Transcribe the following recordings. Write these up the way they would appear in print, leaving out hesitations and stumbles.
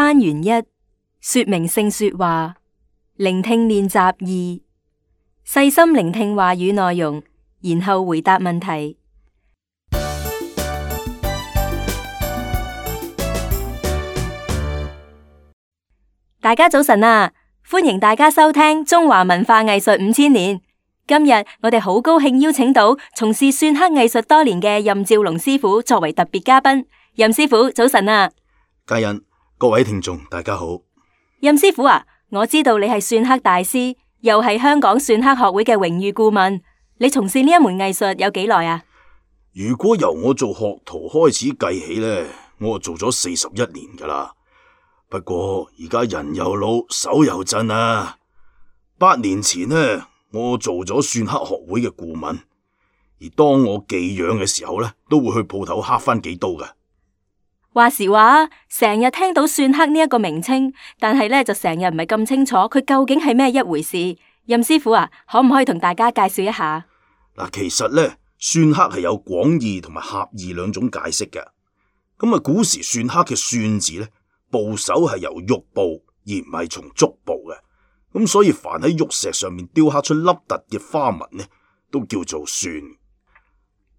單元一，說明性說話，聆聽練習二，細心聆聽話語內容，然後回答問題。大家早晨啊！歡迎大家收聽中華文化藝術5000年。今日我哋好高興邀請到從事篆刻藝術多年嘅任兆龍師傅作為特別嘉賓。任師傅早晨啊！嘉欣，各位聽眾大家好。任師傅啊，我知道你係篆刻大師，又係香港篆刻學會嘅榮譽顧問。你從事呢一門藝術有幾耐啊？如果由我做學徒開始計起呢，我做咗41年噶啦。不過而家人又老，手又震啊。8年前呢，我做咗篆刻學會嘅顧問，而當我寄養嘅時候呢，都會去鋪頭刻翻幾刀嘅。話時話，成日聽到篆刻呢一個名稱，但係呢就成日唔係咁清楚佢究竟係咩一回事。任師傅啊，可唔可以同大家介紹一下？嗱，其實呢，篆刻係有廣義同埋狹義兩種解釋嘅。咁啊，古時篆刻嘅篆字呢，部首係由玉部而唔係從竹部嘅，咁所以凡喺玉石上面雕刻出凹凸嘅花紋呢，都叫做篆。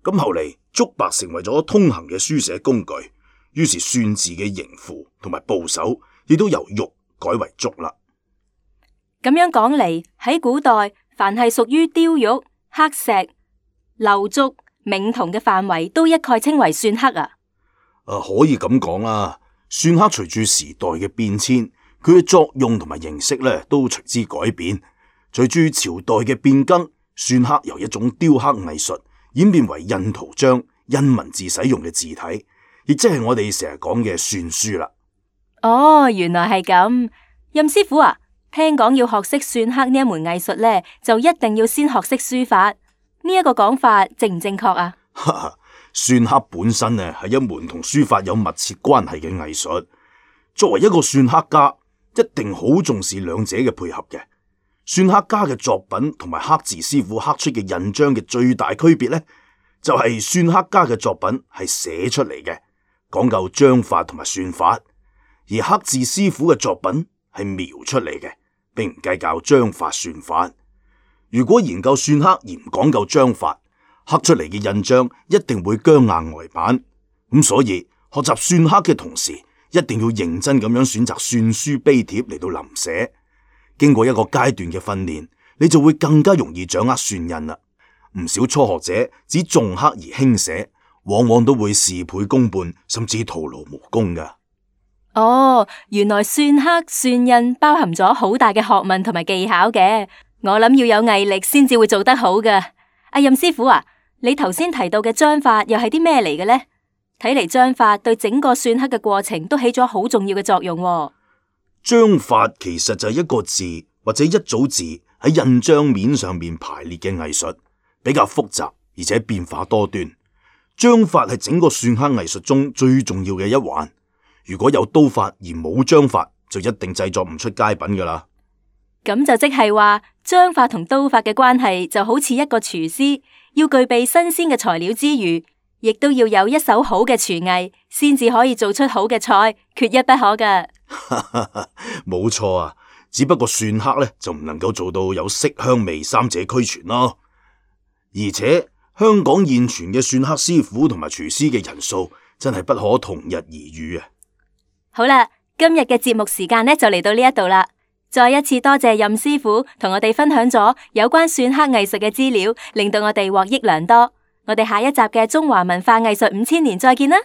咁後嚟竹白成為咗通行嘅書寫工具，於是篆字嘅形符同埋部首亦都由玉改為竹啦。咁樣講嚟，喺古代，凡係屬於雕玉、刻石、鏤竹、銘銅嘅範圍，都一概稱為篆刻啊。可以咁講啦。篆刻隨住時代嘅變遷，佢嘅作用同埋形式咧都隨之改變。隨住朝代嘅變更，篆刻由一種雕刻藝術演變為印圖章、印文字使用嘅字體，亦即係我哋成日講嘅篆書啦。哦，原來係咁。任師傅啊，聽講要學識篆刻呢一門藝術咧，就一定要先學識書法。呢一個講法正唔正確啊？篆刻本身呢係一門同書法有密切關係嘅藝術。作為一個篆刻家，一定好重視兩者嘅配合嘅。篆刻家嘅作品同埋刻字師傅刻出嘅印章嘅最大區別呢，就係篆刻家嘅作品係寫出嚟嘅，講究章法同埋算法；而刻字師傅嘅作品係描出嚟嘅，並唔計較章法算法。如果研究篆刻而唔講究章法，刻出嚟嘅印章一定會僵硬呆板。咁所以學習篆刻嘅同時，一定要認真咁樣選擇篆書碑帖嚟到臨寫。經過一個階段嘅訓練，你就會更加容易掌握篆印啦。唔少初學者只重刻而輕寫，往往都會事倍功半，甚至徒勞無功噶。哦，原來篆刻、篆印包含咗好大嘅學問同埋技巧嘅。我諗要有毅力先至會做得好噶。阿任師傅啊，你頭先提到嘅章法又係啲咩嚟嘅呢？睇嚟章法對整個篆刻嘅過程都起咗好重要嘅作用喎。章法其實就係一個字或者一組字喺印章面上面排列嘅藝術，比較複雜而且變化多端。章法係整個篆刻藝術中最重要嘅一環。如果有刀法而冇章法，就一定製作唔出佳品噶啦。咁就即係話，章法同刀法嘅關係就好似一個廚師要具備新鮮嘅材料之餘，亦都要有一手好嘅廚藝，先至可以做出好嘅菜，缺一不可噶。冇錯啊，只不過篆刻呢就唔能夠做到有色香味三者俱全咯。而且香港現存嘅篆刻師傅同埋廚師嘅人數真係不可同日而語啊。好啦，今日嘅節目時間呢就嚟到呢一度啦。再一次多謝任師傅同我哋分享咗有關篆刻藝術嘅資料，令到我哋獲益良多。我哋下一集嘅中華文化藝術5000年再見啦！